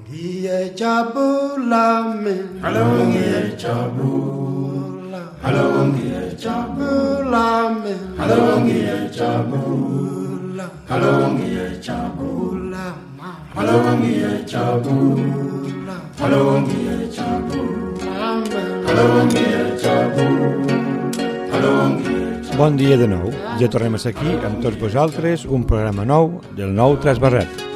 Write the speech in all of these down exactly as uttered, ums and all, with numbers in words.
Iye Chabulamin. Hello, Iye Chabula. Hello, Iye Chabulamin. Hello, Iye Chabula. Hello, Iye Chabula. Hello, Iye Chabula. Hello, Iye Chabula. Hello, Iye Chabula. Hello, Bon dia de nou. Ja tornem a ser aquí amb tots vosaltres, un programa nou del nou Trasbarret.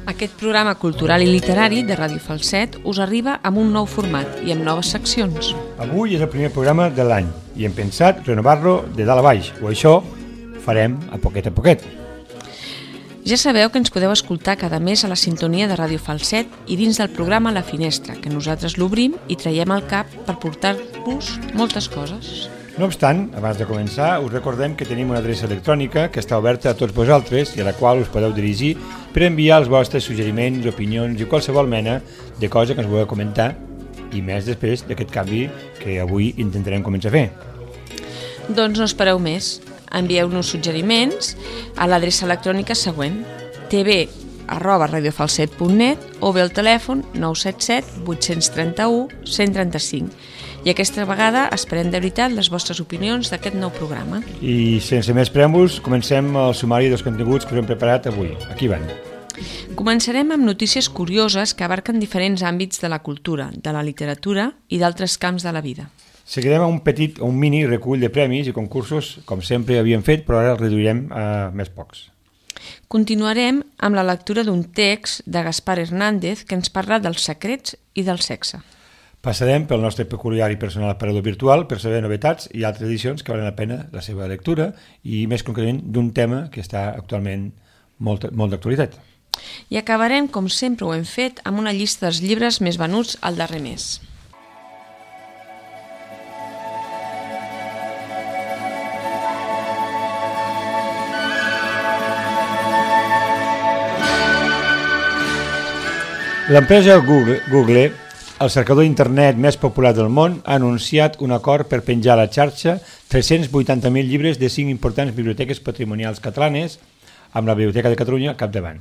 Aquest programa cultural i literari de Ràdio Falset us arriba amb un nou format i amb noves seccions. Avui és el primer programa de l'any i hem pensat renovar-lo de dalt a baix, o això farem a poquet a poquet. Ja sabeu que ens podeu escoltar cada mes a la sintonia de Ràdio Falset i dins del programa La Finestra, que nosaltres l'obrim i traiem al cap per portar-vos moltes coses. No obstant, abans de començar, us recordem que tenim una adreça electrònica que està oberta a tots vosaltres i a la qual us podeu dirigir per enviar els vostres suggeriments, opinions i qualsevol mena de cosa que ens vulgueu comentar i més després d'aquest canvi que avui intentarem començar a fer. Doncs no espereu més. Envieu-nos suggeriments a l'adreça electrònica següent tv arroba radiofalset punt net o bé al telèfon nou set set vuit tres u un cent trenta-cinc. I aquesta vegada esperem de veritat les vostres opinions d'aquest nou programa. I sense més preàmbuls, comencem el sumari dels continguts que us hem preparat avui. Aquí van. Començarem amb notícies curioses que abarquen diferents àmbits de la cultura, de la literatura i d'altres camps de la vida. Seguirem un petit, un mini recull de premis i concursos, com sempre havíem fet, però ara el reduirem a més pocs. Continuarem amb la lectura d'un text de Gaspar Hernández que ens parla dels secrets i del sexe. Passarem pel nostre peculiar i personal aparador virtual per saber novetats i altres edicions que valen la pena la seva lectura i més concretament d'un tema que està actualment molt, molt d'actualitat. I acabarem, com sempre ho hem fet, amb una llista dels llibres més venuts al darrer mes. L'empresa Google, Google el cercador d'internet més popular del món, ha anunciat un acord per penjar a la xarxa tres-cents vuitanta mil llibres de cinc importants biblioteques patrimonials catalanes, amb la Biblioteca de Catalunya al capdavant.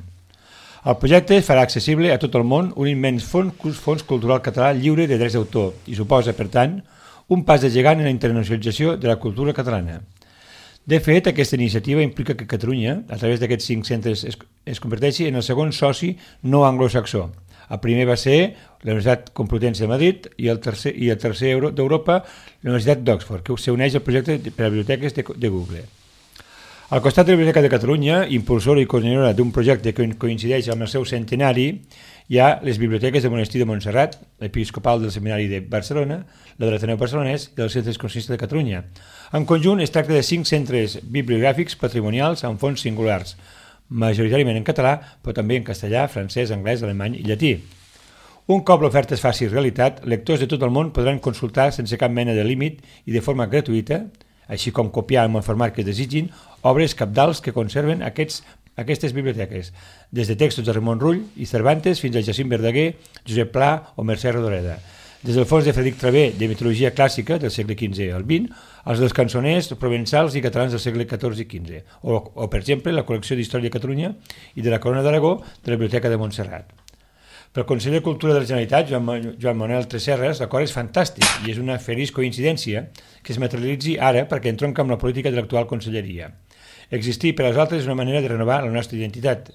El projecte farà accessible a tot el món un immens fons, fons cultural català lliure de drets d'autor i suposa, per tant, un pas de gegant en la internacionalització de la cultura catalana. De fet, aquesta iniciativa implica que Catalunya, a través d'aquests cinc centres, es, es converteixi en el segon soci no anglosaxó. El primer va ser la Universitat Complutense de Madrid i el tercer, i el tercer d'Europa, la Universitat d'Oxford, que s'uneix al projecte per a biblioteques de, de Google. Al costat de la Biblioteca de Catalunya, impulsora i coordinadora d'un projecte que coincideix amb el seu centenari, hi ha les biblioteques del Monestir de Montserrat, l'Episcopal del Seminari de Barcelona, la de l'Ateneu Barcelonès i dels centres consistents de Catalunya. En conjunt, es tracta de cinc centres bibliogràfics patrimonials amb fons singulars, majoritàriament en català, però també en castellà, francès, anglès, alemany i llatí. Un cop l'oferta es faci realitat, lectors de tot el món podran consultar sense cap mena de límit i de forma gratuïta, així com copiar en el format que desitgin, obres cabdals que conserven aquests, aquestes biblioteques, des de textos de Ramon Rull i Cervantes fins a Jacint Verdaguer, Josep Pla o Mercè Rodoreda. Des del fons de Frederic Travé de mitologia clàssica del segle quinze al vint, als dels cançoners provençals i catalans del segle catorze i quinze, o, o per exemple, la col·lecció d'Història de Catalunya i de la Corona d'Aragó de la Biblioteca de Montserrat. Pel conseller de Cultura de la Generalitat, Joan, Joan Manuel Tresserras, l'acord és fantàstic i és una feliç coincidència que es materialitzi ara perquè entronca amb la política de l'actual conselleria. Existir per als altres és una manera de renovar la nostra identitat.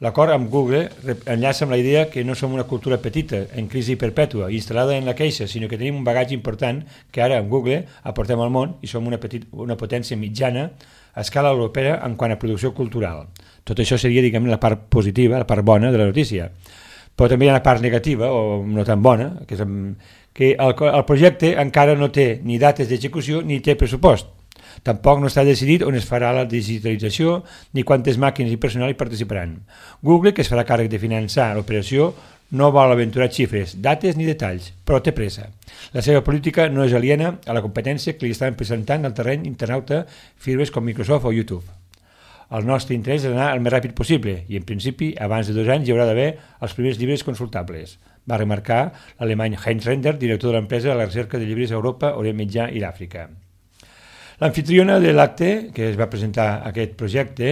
L'acord amb Google enllaça amb la idea que no som una cultura petita, en crisi perpètua, instal·lada en la queixa, sinó que tenim un bagatge important que ara amb Google aportem al món i som una, petit, una potència mitjana a escala europea en quant a producció cultural. Tot això seria, diguem, la part positiva, la part bona de la notícia. Però també hi ha una part negativa, o no tan bona, que, és, que el, el projecte encara no té ni dates d'execució ni té pressupost. Tampoc no està decidit on es farà la digitalització ni quantes màquines i personal hi participaran. Google, que es farà càrrec de finançar l'operació, no vol aventurar xifres, dates ni detalls, però té pressa. La seva política no és aliena a la competència que li estan presentant al terreny internauta firmes com Microsoft o YouTube. El nostre interès és anar el més ràpid possible i, en principi, abans de dos anys hi haurà d'haver els primers llibres consultables, va remarcar l'alemany Heinz Render, director de l'empresa de la recerca de llibres a Europa, Orient Mitjà i l'Àfrica. L'anfitriona de l'acte, que es va presentar aquest projecte,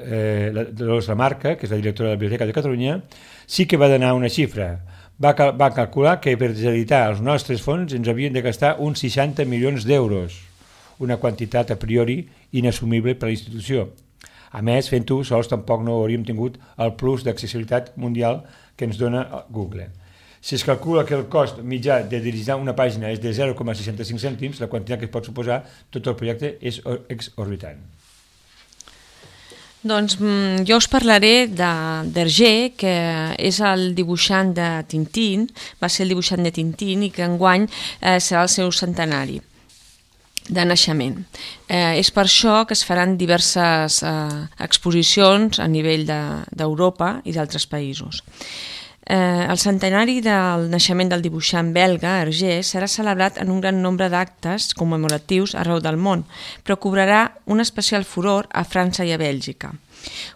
eh, la Dolors Lamarca, que és la directora de la Biblioteca de Catalunya, sí que va donar una xifra. Va, cal va calcular que per editar els nostres fons ens havien de gastar uns seixanta milions d'euros, una quantitat a priori inassumible per a la institució. A més, fent-ho sols tampoc no hauríem tingut el plus d'accessibilitat mundial que ens dona Google. Si es calcula que el cost mitjà de dirigir una pàgina és de zero coma seixanta-cinc cèntims, la quantitat que es pot suposar tot el projecte és exorbitant. Doncs jo us parlaré d'Hergé, que és el dibuixant de Tintín, va ser el dibuixant de Tintín i que enguany eh, serà el seu centenari de naixement. Eh, és per això que es faran diverses eh, exposicions a nivell d'Europa de, i d'altres països. Eh, el centenari del naixement del dibuixant belga, Hergé, serà celebrat en un gran nombre d'actes commemoratius arreu del món, però cobrarà un especial furor a França i a Bèlgica.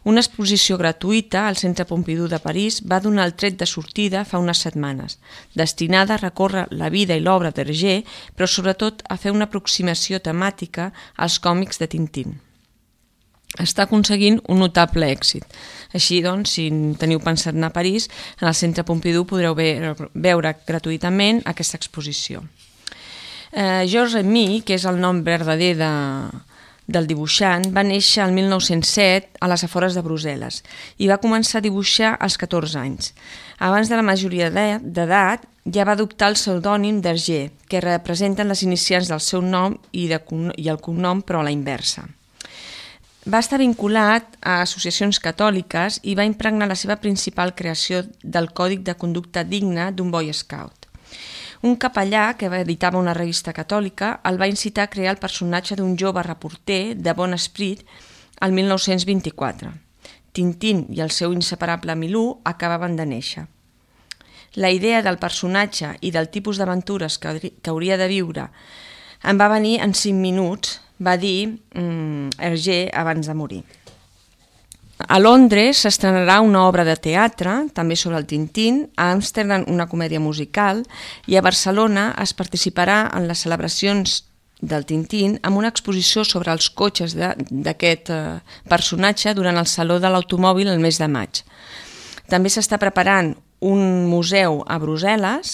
Una exposició gratuïta al Centre Pompidou de París va donar el tret de sortida fa unes setmanes, destinada a recórrer la vida i l'obra d'Hergé, però sobretot a fer una aproximació temàtica als còmics de Tintín. Està aconseguint un notable èxit. Així doncs, si teniu pensat anar a París, en el Centre Pompidou podreu veure gratuïtament aquesta exposició. Eh, Georges Remy, que és el nom verdader de, del dibuixant, va néixer el mil nou-cents set a les afores de Brussel·les i va començar a dibuixar als catorze anys. Abans de la majoria d'edat, ja va adoptar el pseudònim d'Hergé, que representen les inicials del seu nom i, de, i el cognom, però a la inversa. Va estar vinculat a associacions catòliques i va impregnar la seva principal creació del còdic de conducta digna d'un Boy Scout. Un capellà que editava una revista catòlica el va incitar a crear el personatge d'un jove reporter de bon esperit el mil nou-cents vint-i-quatre. Tintín i el seu inseparable Milú acabaven de néixer. La idea del personatge i del tipus d'aventures que, que hauria de viure em va venir en cinc minuts, va dir mm, Hergé abans de morir. A Londres s'estrenarà una obra de teatre, també sobre el Tintín, a Amsterdam una comèdia musical i a Barcelona es participarà en les celebracions del Tintín amb una exposició sobre els cotxes d'aquest eh, personatge durant el Saló de l'Automòbil el mes de maig. També s'està preparant un museu a Brussel·les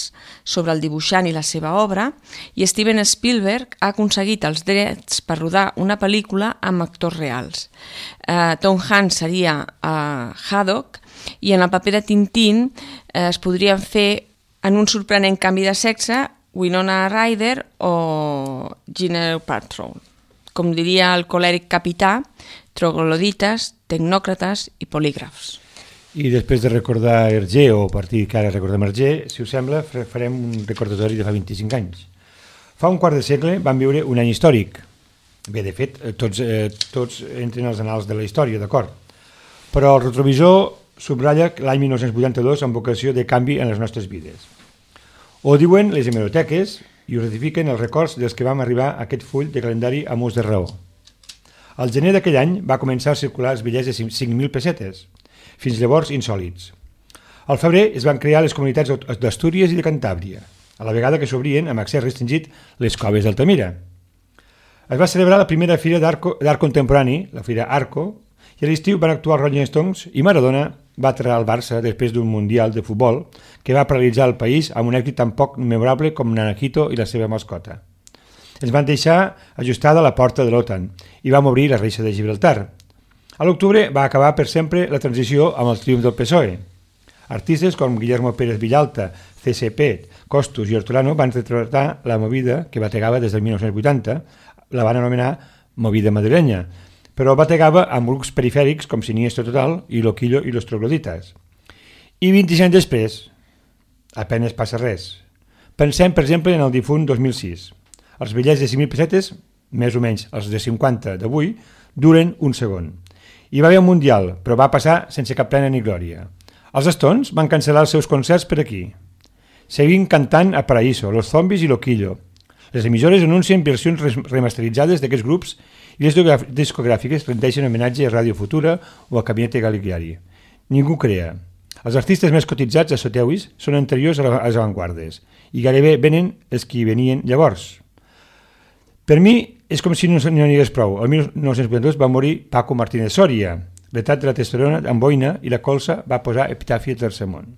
sobre el dibuixant i la seva obra i Steven Spielberg ha aconseguit els drets per rodar una pel·lícula amb actors reals. Uh, Tom Hanks seria uh, Haddock i en el paper de Tintín uh, es podrien fer en un sorprenent canvi de sexe Winona Ryder o Gwyneth Paltrow. Com diria el colèric capità, troglodites, tecnòcrates i polígrafs. I després de recordar Hergé, o a partir que ara recordem Hergé, si us sembla, farem un recordatori de fa vint-i-cinc anys. Fa un quart de segle van viure un any històric. Bé, de fet, tots, eh, tots entren als anals de la història, d'acord. Però el retrovisor subratlla l'any mil nou-cents vuitanta-dos amb vocació de canvi en les nostres vides. Ho diuen les hemeroteques i ho ratifiquen els records dels que vam arribar a aquest full de calendari amb ús de raó. Al gener d'aquell any va començar a circular els bitllets de cinc mil pessetes, fins llavors insòlits. Al febrer es van crear les comunitats d'Astúries i de Cantàbria, a la vegada que s'obrien amb accés restringit les coves d'Altamira. Es va celebrar la primera fira d'art contemporani, la fira Arco, i a l'estiu van actuar Rolling Stones i Maradona va aterrar al Barça després d'un mundial de futbol que va paralitzar el país amb un èxit tan poc memorable com Nanakito i la seva mascota. Ens van deixar ajustada la porta de l'OTAN i vam obrir la reixa de Gibraltar. A l'octubre va acabar per sempre la transició amb el triomf del P S O E. Artistes com Guillermo Pérez Villalta, C C P, Costus i Hortolano van retratar la movida que bategava des del mil nou-cents vuitanta, la van anomenar movida madrilenya, però bategava amb grups perifèrics com Siniestro Total i Loquillo i los Trogloditas. I vint-i-cinc anys després, apenas passa res. Pensem, per exemple, en el difunt dos mil sis. Els bitllets de cinc mil pessetes, més o menys els de cinquanta d'avui, duren un segon. Hi va haver un mundial, però va passar sense cap pena ni glòria. Els Stones van cancel·lar els seus concerts per aquí. Seguim cantant a Paraíso, Los Zombies i Loquillo. Les emissores anuncien versions remasteritzades d'aquests grups i les discogràfiques rendeixen homenatge a Ràdio Futura o a Gabinete Caligari. Ningú crea. Els artistes més cotitzats a Soteuis són anteriors a les avantguardes i gairebé venen els que venien llavors. Per mi és com si no n'hi hagués prou. El mil nou-cents vuitanta-dos va morir Paco Martínez Soria, L'etat de la testosterona amb boina i la colza va posar epitafi al tercer món.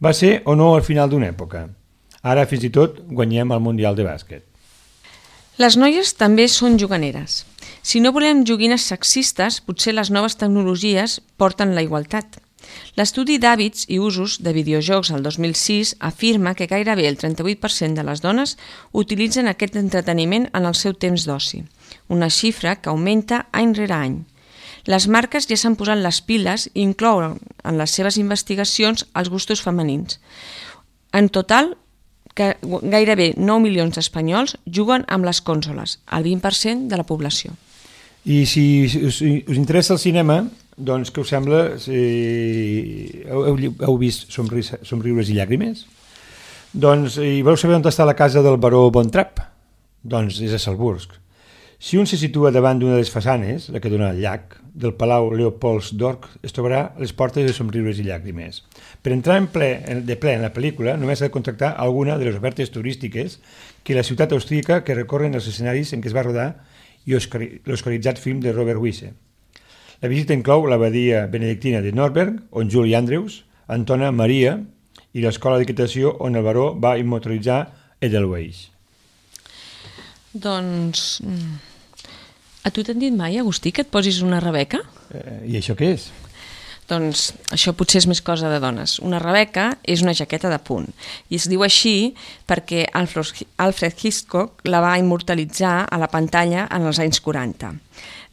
Va ser o no al final d'una època. Ara fins i tot guanyem el Mundial de bàsquet. Les noies també són juganeres. Si no volem joguines sexistes, potser les noves tecnologies porten la igualtat. L'estudi d'hàbits i usos de videojocs al dos mil sis afirma que gairebé el trenta-vuit per cent de les dones utilitzen aquest entreteniment en el seu temps d'oci, una xifra que augmenta any rere any. Les marques ja s'han posat les piles i inclouen en les seves investigacions els gustos femenins. En total, que gairebé nou milions d'espanyols juguen amb les consoles, el vint per cent de la població. I si us, us interessa el cinema, doncs què us sembla? Si heu, heu vist Somri, Somriures i llàgrimes? Doncs i voleu saber on està la casa del baró Von Trapp? Doncs és a Salzburg. Si un se situa davant d'una de les façanes, la que dona al llac, del Palau Leopoldsdorf, es trobarà a les portes de Somriures i llàgrimes. Per entrar en ple, de ple en la pel·lícula, només s'ha de contractar alguna de les ofertes turístiques que la ciutat austríaca que recorren els escenaris en què es va rodar i l'oscaritzat film de Robert Wise. La visita inclou l'abadia benedictina de Norberg, on Julie Andrews entona Maria, i l'escola d'equitació on el baró va immortalitzar Edelweiss. Doncs... A tu t'han dit mai, Agustí, que et posis una rebeca? Eh, I això què és? Doncs això potser és més cosa de dones. Una rebeca és una jaqueta de punt i es diu així perquè Alfred Hitchcock la va immortalitzar a la pantalla en els anys quaranta.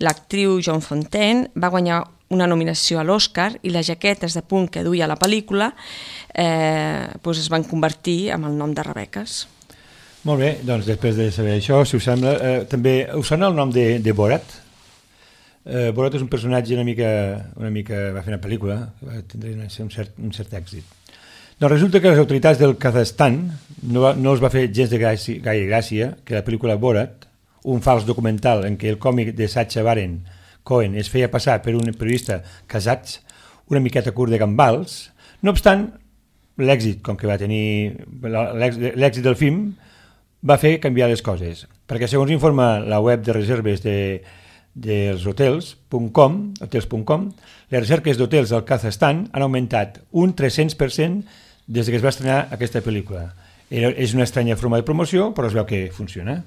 L'actriu Joan Fontaine va guanyar una nominació a l'Oscar i les jaquetes de punt que duia a la pel·lícula eh, doncs es van convertir en el nom de rebeques. Molt bé, doncs després de saber això, si us sembla, eh, també us sona el nom de, de Borat? Eh, Borat és un personatge una mica, una mica va fer una pel·lícula, va tindre un cert, un cert èxit. Doncs resulta que les autoritats del Kazakhstan no, va, no els va fer gens de gràcia, gaire gràcia que la pel·lícula Borat, un fals documental en què el còmic de Sacha Baron Cohen es feia passar per un periodista kazakh una miqueta curt de gambals, no obstant, l'èxit, com que va tenir l'èxit del film, va fer canviar les coses, perquè segons informa la web de reserves de, dels hotels punt com, hotels punt com, les recerques d'hotels al Kazakhstan han augmentat un tres-cents per cent des que es va estrenar aquesta pel·lícula. Era, és una estranya forma de promoció, però es veu que funciona.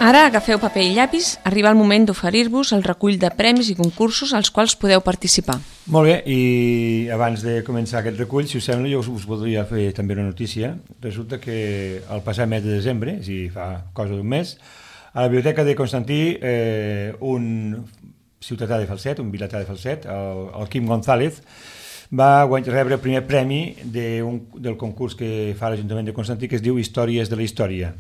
Ara agafeu paper i llapis, arriba el moment d'oferir-vos el recull de premis i concursos als quals podeu participar. Molt bé, i abans de començar aquest recull, si us sembla, jo us voldria fer també una notícia. Resulta que el passat mes de desembre, és a dir, fa cosa d'un mes, a la Biblioteca de Constantí, eh, un ciutadà de Falset, un vilatà de Falset, el, el Quim González, va rebre el primer premi de un, del concurs que fa l'Ajuntament de Constantí, que es diu Històries de la Història.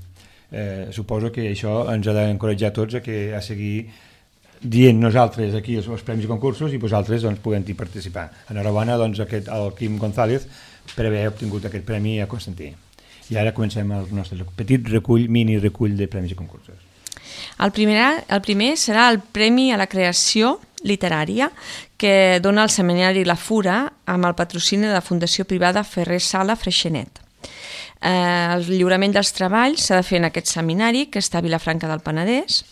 Eh, suposo que això ens ha d'encoratjar tots a, que, a seguir dient nosaltres aquí els, els premis i concursos i vosaltres doncs, puguem-hi participar. Enhorabona doncs, aquest, al Quim González per haver obtingut aquest premi a Constantí. I ara comencem el nostre petit recull, mini recull de premis i concursos. El primer, el primer serà el Premi a la Creació Literària que dona el Seminari La Fura amb el patrocini de la Fundació Privada Ferrer Sala Freixenet. Eh, el lliurament dels treballs s'ha de fer en aquest seminari que està a Vilafranca del Penedès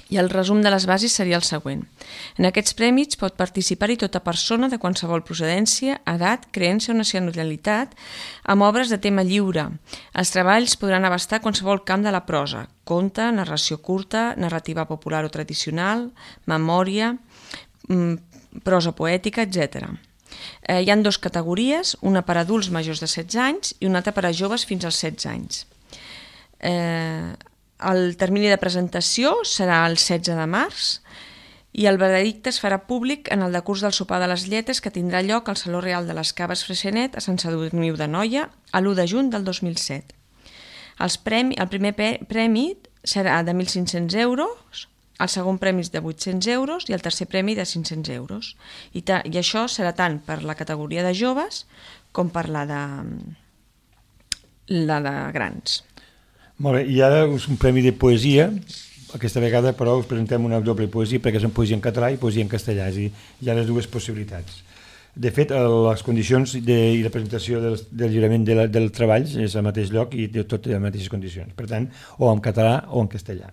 i el resum de les bases seria el següent. En aquests premis pot participar-hi tota persona de qualsevol procedència, edat, creença o nacionalitat amb obres de tema lliure. Els treballs podran abastar qualsevol camp de la prosa, conte, narració curta, narrativa popular o tradicional, memòria, prosa poètica, etcètera. Eh, hi ha dues categories, una per adults majors de setze anys i una altra per a joves fins als setze anys. Eh, el termini de presentació serà el setze de març i el veredicte es farà públic en el decurs del sopar de les lletres que tindrà lloc al Saló Real de les Caves Freixenet a Sant Sadurniu d'Anoia a l'u de juny del dos mil set. Els premi, el primer premi serà de mil cinc-cents euros, el segon premi és de vuit-cents euros i el tercer premi de cinc-cents euros. I, ta, I això serà tant per la categoria de joves com per la de, la de grans. Molt bé, i ara és un premi de poesia. Aquesta vegada, però, us presentem una doble poesia perquè és en poesia en català i poesia en castellà, és a dir, hi ha les dues possibilitats. De fet, les condicions de, i la presentació del, del lliurament de la, del treball és al mateix lloc i de tot en les mateixes condicions, per tant, o en català o en castellà.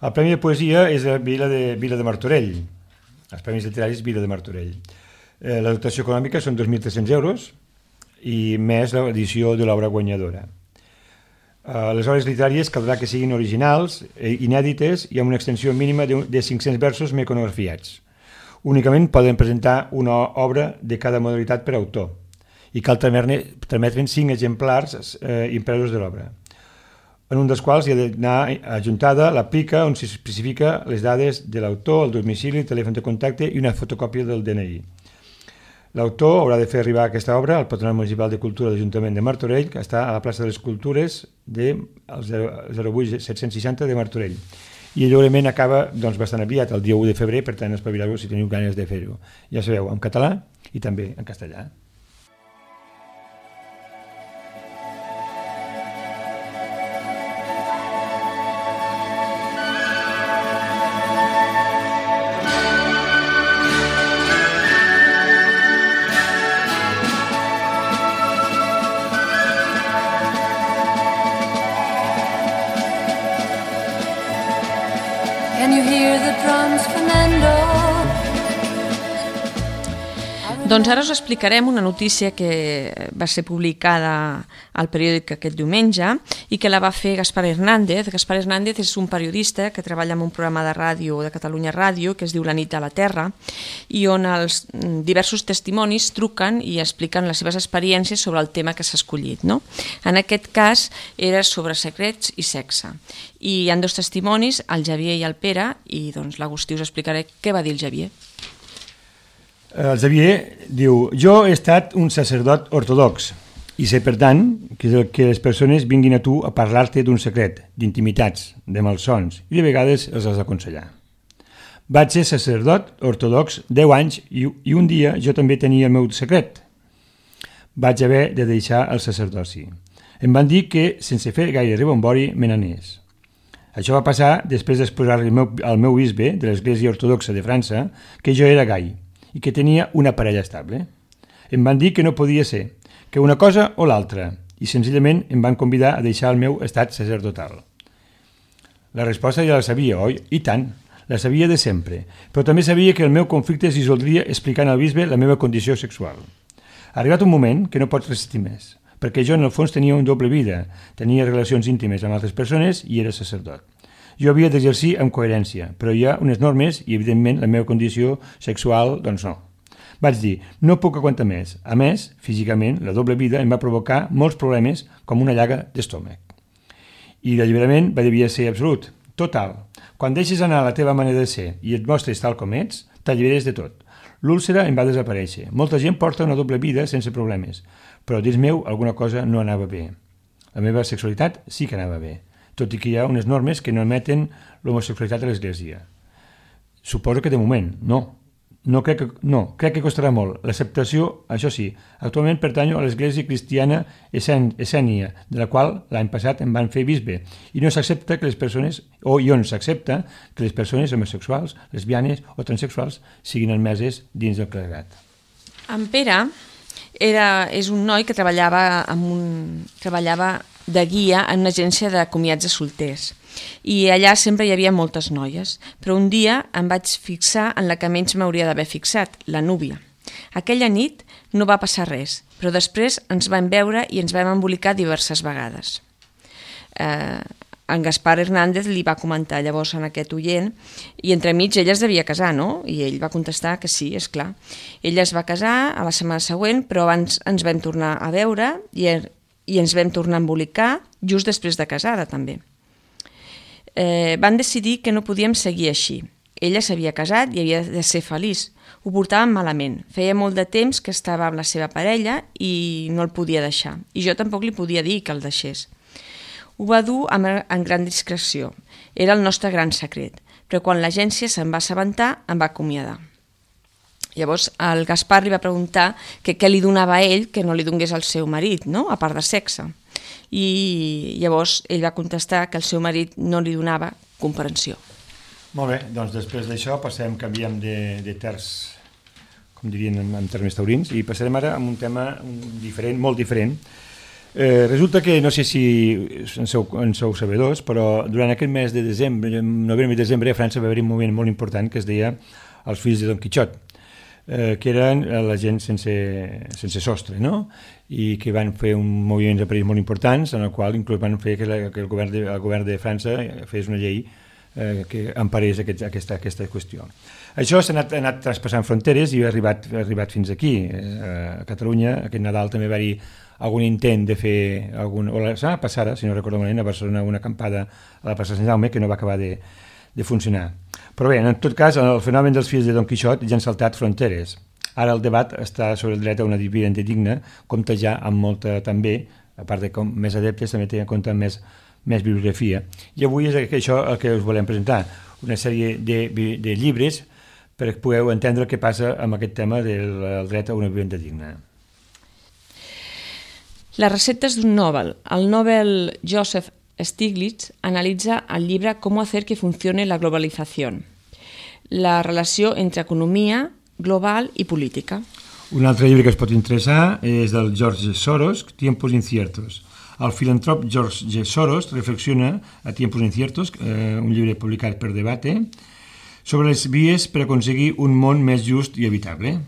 El premi de poesia és a Vila de, Vila de Martorell, els premis literaris Vila de Martorell. Eh, la dotació econòmica són dos mil tres-cents euros i més l'edició de l'obra guanyadora. Uh, les obres literàries caldrà que siguin originals, eh, inèdites i amb una extensió mínima de, de cinc-cents versos meconografiats. Únicament poden presentar una obra de cada modalitat per autor i cal trametre'n cinc exemplars eh, impresos de l'obra, en un dels quals hi ha d'anar adjuntada la plica on s'especifica les dades de l'autor, el domicili, el telèfon de contacte i una fotocòpia del D N I. L'autor haurà de fer arribar aquesta obra al Patronat Municipal de Cultura de l'Ajuntament de Martorell, que està a la plaça de les Cultures del zero vuit set-cents seixanta de Martorell. I el lliurament acaba doncs, bastant aviat, el dia u de febrer, per tant espavileu-vos si teniu ganes de fer-ho. Ja sabeu, en català i també en castellà. Doncs ara us explicarem una notícia que va ser publicada al periòdic aquest diumenge i que la va fer Gaspar Hernández. Gaspar Hernández és un periodista que treballa en un programa de ràdio de Catalunya Ràdio que es diu La nit a la Terra i on els diversos testimonis truquen i expliquen les seves experiències sobre el tema que s'ha escollit, no? En aquest cas era sobre secrets i sexe. I hi ha dos testimonis, el Xavier i el Pere, i doncs l'Agustí us explicaré què va dir el Xavier. El Xavier diu: jo he estat un sacerdot ortodox i sé, per tant, que, que les persones vinguin a tu a parlar-te d'un secret, d'intimitats, de malsons, i de vegades els has d'aconsellar. Vaig ser sacerdot ortodox deu anys i, i un dia jo també tenia el meu secret. Vaig haver de deixar el sacerdoci. Em van dir que, sense fer gaire rebombori, me n'anés. Això va passar després d'exposar-li al meu, al meu bisbe de l'Església Ortodoxa de França que jo era gai i que tenia una parella estable. Em van dir que no podia ser, que una cosa o l'altra, i senzillament em van convidar a deixar el meu estat sacerdotal. La resposta ja la sabia, oi? I tant, la sabia de sempre, però també sabia que el meu conflicte es dissoldria explicant al bisbe la meva condició sexual. Ha arribat un moment que no pots resistir més, perquè jo en el fons tenia una doble vida, tenia relacions íntimes amb altres persones i era sacerdot. Jo havia d'exercir amb coherència, però hi ha unes normes i, evidentment, la meva condició sexual, doncs no. Vaig dir, no puc aguantar més. A més, físicament, la doble vida em va provocar molts problemes com una llaga d'estómac. I l'alliberament va devia ser absolut, total. Quan deixes anar la teva manera de ser i et mostres tal com ets, t'alliberes de tot. L'úlcera em va desaparèixer. Molta gent porta una doble vida sense problemes, però dins meu alguna cosa no anava bé. La meva sexualitat sí que anava bé, tot i que hi ha unes normes que no admeten l'homosexualitat a l'Església. Suposo que de moment, no. No crec que, no, crec que costarà molt. L'acceptació, això sí, actualment pertanyo a l'Església Cristiana Essènia, de la qual l'any passat em van fer bisbe, i no s'accepta que les persones, o i on s'accepta que les persones homosexuals, lesbianes o transexuals siguin admeses dins del clergat. En Pere era, és un noi que treballava, amb un, treballava de guia en una agència de comiats de solters. I allà sempre hi havia moltes noies, però un dia em vaig fixar en la que menys m'hauria d'haver fixat, la núvia. Aquella nit no va passar res, però després ens vam veure i ens vam embolicar diverses vegades. Eh, en Gaspar Hernández li va comentar llavors en aquest oient i entremig ella es devia casar, no? I ell va contestar que sí, és clar. Ella es va casar a la setmana següent, però abans ens vam tornar a veure i, i ens vam tornar a embolicar just després de casada també. Eh, van decidir que no podíem seguir així. Ella s'havia casat i havia de ser feliç. Ho portàvem malament. Feia molt de temps que estava amb la seva parella i no el podia deixar. I jo tampoc li podia dir que el deixés. Ho va dur amb, en gran discreció. Era el nostre gran secret. Però quan l'agència se'n va assabentar, em va acomiadar. Llavors el Gaspar li va preguntar que què li donava a ell que no li donés al seu marit, no? A part de sexe. i llavors ell va contestar que el seu marit no li donava comprensió. Molt bé, doncs després d'això passem, canviem de, de terç, com dirien en, en termes taurins, i passarem ara a un tema diferent, molt diferent. Eh, resulta que, no sé si en sou, en sou sabedors, però durant aquest mes de desembre, novembre i desembre, a França va haver un moment molt important que es deia els fills de Don Quixot, eh, que eren la gent sense, sense sostre, no? I que van fer un moviment de país molt importants, en el qual inclús van fer que, la, que el, govern de, el govern de França fes una llei eh, que emparés aquest, aquesta, aquesta qüestió. Això s'ha anat, anat traspassant fronteres i ha arribat, ha arribat fins aquí. Eh, a Catalunya, aquest Nadal també va haver algun intent de fer algun, o la setmana passada, si no recordo malament, a Barcelona una acampada a la plaça Sant Jaume que no va acabar de, de funcionar. Però bé, en tot cas, el fenomen dels fills de Don Quixot ja han saltat fronteres. Ara el debat està sobre el dret a una vivenda digna, compta ja amb molta també, a part de com més adeptes, també té en compte més, més bibliografia. I avui és això el que us volem presentar, una sèrie de, de llibres perquè pugueu entendre què passa amb aquest tema del dret a una vivenda digna. Les receptes d'un Nobel. El Nobel Joseph Stiglitz analitza el llibre Cómo hacer que funcione la globalización, la relació entre economia global i política. Un altre llibre que es pot interessar és del George Soros, Tiempos inciertos. El filantrop George Soros reflexiona a Tiempos inciertos, eh, un llibre publicat per Debate, sobre les vies per aconseguir un món més just i habitable.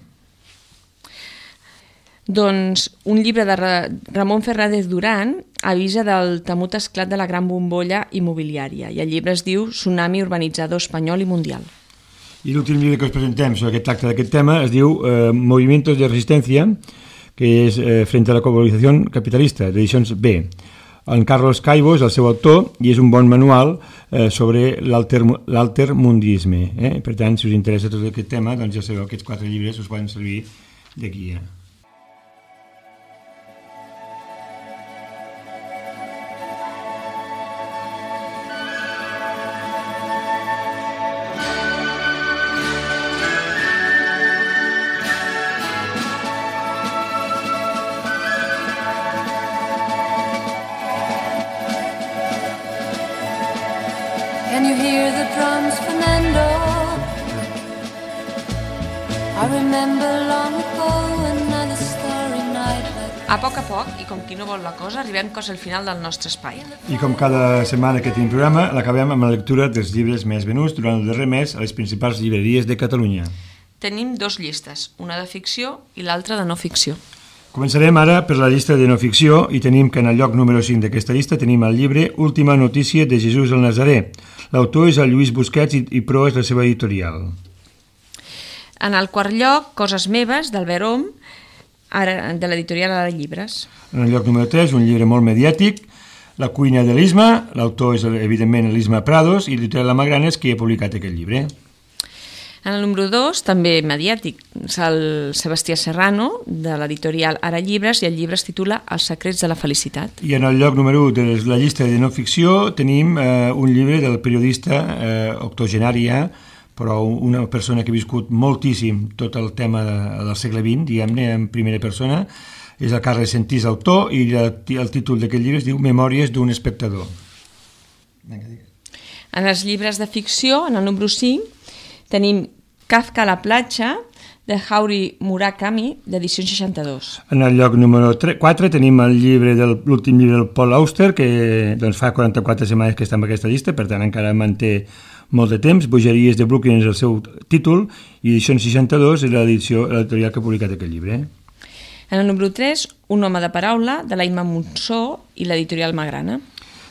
Doncs un llibre de Ramon Fernández Durán avisa del temut esclat de la gran bombolla immobiliària i el llibre es diu Tsunami urbanitzador espanyol i mundial. I l'últim llibre que us presentem sobre aquest tracte d'aquest tema es diu eh, Movimientos de Resistencia, que és eh, Frente a la Globalizació Capitalista, d'edicions B. En Carlos Caibos, el seu autor, i és un bon manual eh, sobre l'altermundisme. Eh? Per tant, si us interessa tot aquest tema, doncs ja sabeu que aquests quatre llibres us poden servir de guia. Can you hear the drums, Fernando? I remember long ago another starry night. A poc a poc, i com qui no vol la cosa, arribem quasi al final del nostre espai. I com cada setmana que tenim programa, l'acabem amb la lectura dels llibres més venuts durant el darrer mes a les principals llibreries de Catalunya. Tenim dos llistes, una de ficció i l'altra de no ficció. Començarem ara per la llista de no ficció i tenim que en el lloc número cinc d'aquesta llista tenim el llibre Última notícia de Jesús el Nazaré. L'autor és el Lluís Busquets i, i Pro és la seva editorial. En el quart lloc, Coses meves, d'Albert Om, de l'editorial Ara Llibres. En el lloc número tres, un llibre molt mediàtic, La cuina de l'Isma, l'autor és evidentment l'Isma Prados i l'editorial La Magranes qui ha publicat aquest llibre. En el número dos, també mediàtic, és el Sebastià Serrano, de l'editorial Ara Llibres, i el llibre es titula Els secrets de la felicitat. I en el lloc número u de la llista de no ficció tenim eh, un llibre del periodista eh, octogenària, però una persona que ha viscut moltíssim tot el tema de, del segle vint, diguem-ne, en primera persona, és el Carles Sentís, autor, i el, el títol d'aquest llibre es diu Memòries d'un espectador. En els llibres de ficció, en el número cinc, tenim Kafka a la platja, de Haruki Murakami, d'edició seixanta-dos. En el lloc número quatre tenim el llibre del l'últim llibre del Paul Auster, que doncs, fa quaranta-quatre setmanes que està en aquesta llista, per tant encara manté molt de temps. Bogeries de Brooklyn és el seu títol, i edició seixanta-dos és l'edició editorial que ha publicat aquest llibre. En el número tres, Un home de paraula, de l'Aima Monsó i l'editorial Magrana.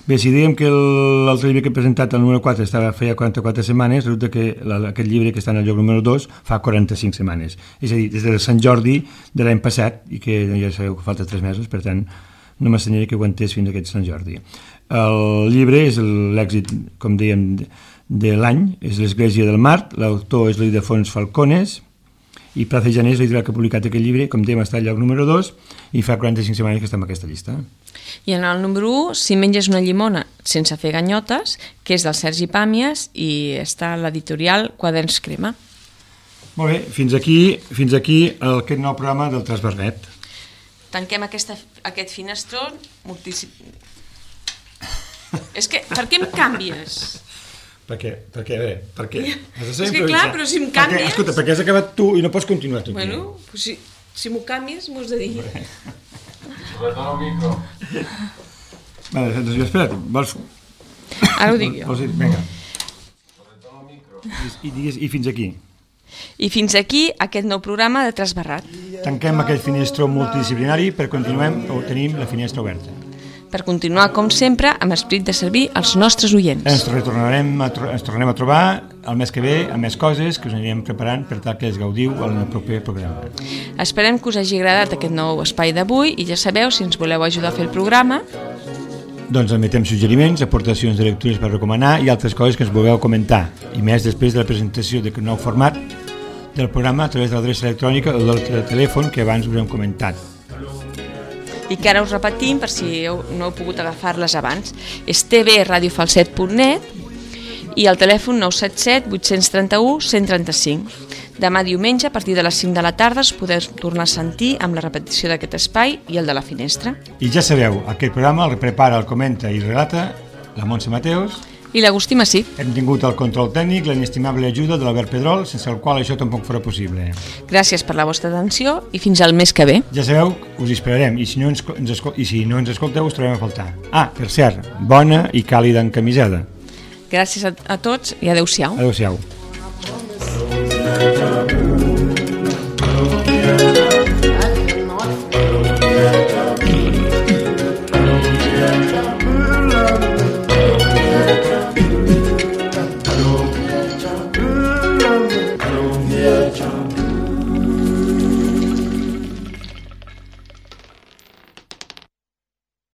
Bé, si dèiem que l'altre llibre que he presentat, el número quatre, estava feia quaranta-quatre setmanes, resulta que aquest llibre que està en el lloc número dos fa quaranta-cinc setmanes. És a dir, des de Sant Jordi de l'any passat, i que ja sabeu que falta tres mesos, per tant, no m'estanyaré que aguantés fins a aquest Sant Jordi. El llibre és l'èxit, com dèiem, de l'any, és l'Església del Mart, l'autor és l'Ildefons Falcones, i Plaza Janés, l'editorial que ha publicat aquest llibre, com dèiem, està al lloc número dos, i fa quaranta-cinc setmanes que està en aquesta llista. I en el número u, Si menges una llimona sense fer ganyotes, que és del Sergi Pàmies i està a l'editorial Quaderns Crema. Molt bé, fins aquí, fins aquí aquest nou programa del Trasbernet. tanquem aquesta, aquest finestró moltíssim... És que, per què em canvies? Perquè, perquè, a veure, perquè... És que clar, però si em canvies... Perquè, escolta, perquè has acabat tu i no pots continuar tu. Bueno, pues si, si m'ho canvies m'ho has de dir. Retorna el micro. Vale, doncs espera't, vols... Ara ho dic jo. Vols dir, vinga. Retorna el micro. I, i, digues, I fins aquí. I fins aquí aquest nou programa de Trasbarrat. Tanquem aquest finestró multidisciplinari per continuar o tenim la finestra oberta. Per continuar, com sempre, amb esperit de servir als nostres oients. Ens retornarem a, ens tornarem a trobar el mes que ve amb més coses que us anirem preparant per tal que es gaudiu en el proper programa. Esperem que us hagi agradat aquest nou espai d'avui i ja sabeu, si ens voleu ajudar a fer el programa... Doncs admetem suggeriments, aportacions de lectures per recomanar i altres coses que ens vulgueu comentar. I més després de la presentació d'aquest nou format del programa a través de l'adreça electrònica o del telèfon que abans us hem comentat. I que ara us repetim per si heu, no heu pogut agafar-les abans. És t v radio falset punt net i el telèfon nou set set vuit tres u un cent trenta-cinc. Demà diumenge, a partir de les cinc de la tarda, us podeu tornar a sentir amb la repetició d'aquest espai i el de la finestra. I ja sabeu, aquest programa el prepara, el comenta i relata la Montse Mateus i l'Agustí Massí. Hem tingut el control tècnic, l'inestimable ajuda de l'Albert Pedrol, sense el qual això tampoc farà possible. Gràcies per la vostra atenció i fins al mes que ve. Ja sabeu, us hi esperarem i si no ens, ens, escol i si no ens escolteu us trobem a faltar. Ah, per cert, bona i càlida encamisada. Gràcies a, a tots i adeu-siau. Adeu-siau.